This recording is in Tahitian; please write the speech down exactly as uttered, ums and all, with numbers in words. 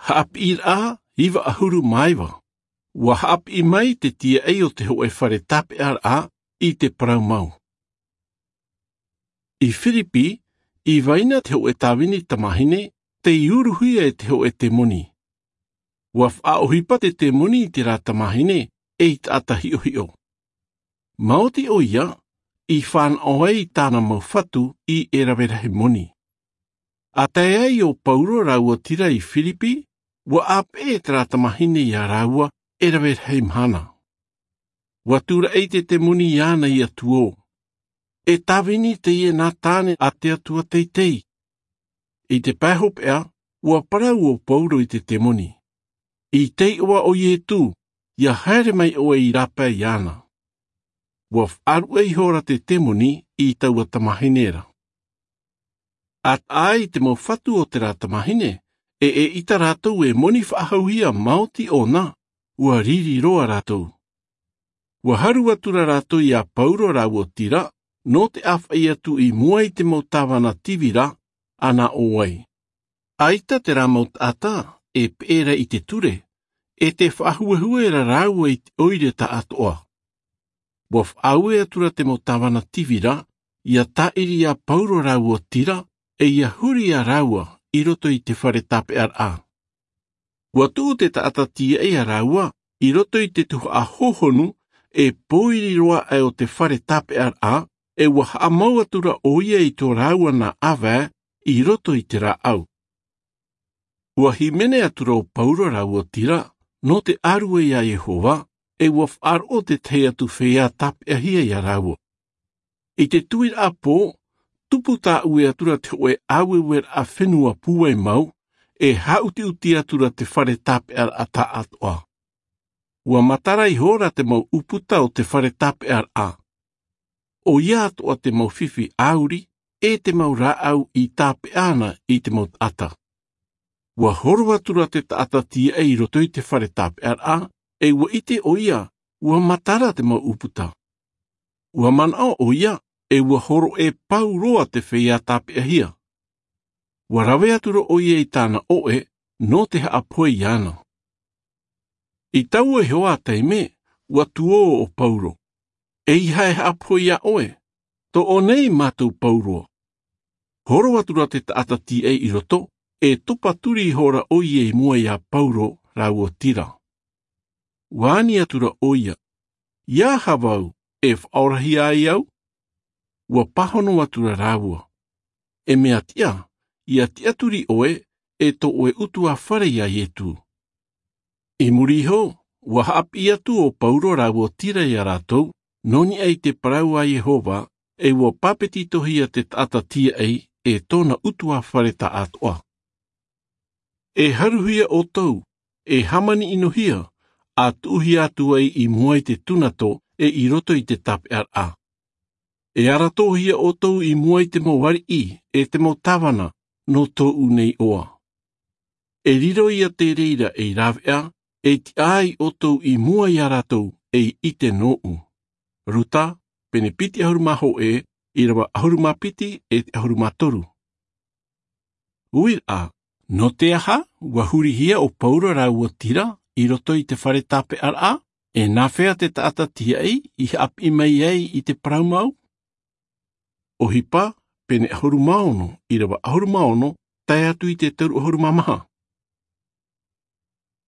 Haʻapiʻiraʻa iva ʻahuru mā iva. Ua haʻapiʻi mai te tīaʻi o te hoʻe fare tāpeʻaraʻa i te parau mau. I Firipi, i vaina te hoʻe tāvini tamahine tei uruhia e te hoʻe temoni. Ua faʻaʻohipa te temoni i terā tamahine ei taʻata hiʻohiʻo. Maoti ʻoia i fānaʻo ai i tāna mau fatu i e rave rahi moni. A tae ai ʻo Pauro rāua Tira i Firipi, ua ʻāpeʻe terā tamahine iā rāua e rave rahi mahana. Ua tūraʻi te temoni iāna iā Tuō. E tāvini teie nā Tāne a te Atua teitei. I te pae hopeʻa, ua parau ʻo Pauro i te temoni, i te iʻoa o Ietu, ia haere mai ʻoe i rāpae iāna. Ua faʻaruʻe ihora te temoni i taua tamahine ra. A taʻa ai te mau fatu o terā tamahine, e ʻeita rātou e moni faʻahouhia maoti ʻōna, ua riri roa rātou. Ua haru atu ra rātou iā Pauro rāua Tira nō te ʻāfaʻi atu i mua i te mau tāvana tīvira, ʻana ʻō ai, ʻaita terā mau taʻata e peʻe ra i te ture, e te faʻahuehue ra rāua i te ʻoire taʻatoʻa. Ua faʻaue atu ra te mau tāvana tīvira ia tāʻiri iā Pauro rāua Tira, e ia huri iā rāua i roto i te fare tāpeʻaraʻa. Ua tuʻu te taʻata tīaʻi iā rāua i roto i te tuhaʻa hōhonu e pōiri roa aʻe o te fare tāpeʻaraʻa, e ua haʻamau atu ra ʻoia i tō rāua nā ʻāvae i roto i te rāʻau. Ua hīmene atu ra ʻo Pauro rāua Tira nō te ʻārue iā Iehova, e ua faʻaroʻo te tahi atu feiā tāpeʻahia iā rāua. I te tuiraʻa pō, tupu tāʻue atu ra te hoʻe ʻāueueraʻa fenua pūai mau, e haʻutiʻuti atu ra te fare tāpeʻaraʻa taʻatoʻa. Ua matara ihora te mau ʻūputa o te fare tāpeʻaraʻa. ʻOia atoʻa te mau fifi ʻāuri, e te mau rāʻau i tāpeʻa ana i te mau taʻata. Ua horo atu ra te taʻata tīaʻi i roto i te fare tāpeʻaraʻa, e ua ʻite ʻoia, ua matara te mau ʻūputa. Ua manaʻo ʻoia, e ua horoʻa pau roa te feiā tāpeʻahia. Ua rave atu ra ʻoia i tāna ʻoʻe nō te haʻapohe iāna. I taua iho ā taime, ua tuō ʻo Pauro. E ʻeiaha e haʻapohe iā ʻoe, toʻo nei mātou pauroa. Horo atu ra te taʻata tīaʻi i roto, e topa turi ihora ʻoia i mua iā Pauro rāua Tira. Ua ani atu ra ʻoia, ia aha vau, e faʻaorahia ai au? Ua pāhono atu ra rāua, e mea tiʻa, ia tiʻaturi ʻoe, e tō ʻoe ʻutuāfare iā Ietu. I muri iho, ua haʻapiʻi atu ʻo Pauro rāua Tira iā rātou, nō niʻa i te parau a Iehova, e ua pāpetitohia te taʻata tīaʻi, e tōna ʻutuāfare taʻatoʻa. E haruhia ʻoutou, e hāmani ʻinohia, a tuʻuhia atu ai i mua i te tunato, e i roto i te tāpeʻaraʻa. E aratohia ʻoutou i mua i te mau ariʻi, e te mau tāvana, nō tōʻu nei iʻoa. E riro ia te reira ei rāveʻa, e tiʻa ai ʻoutou i mua iā rātou, ei ʻite nōʻu. Ruta, pene piti ʻahuru mā hōʻē, ʻīrava ʻahuru mā piti, e te ʻahuru mā toru. Uiraʻa, nō te aha, ua hurihia ʻo Pauro rāua Tira, i roto i te fare tāpeʻaraʻa, e nāfea te taʻata tīaʻi, i haʻapiʻi mai ai i te parau mau? ʻOhipa, pene ʻahuru mā ono, ʻīrava ʻahuru mā ono, tae atu i te toru ʻahuru mā maha.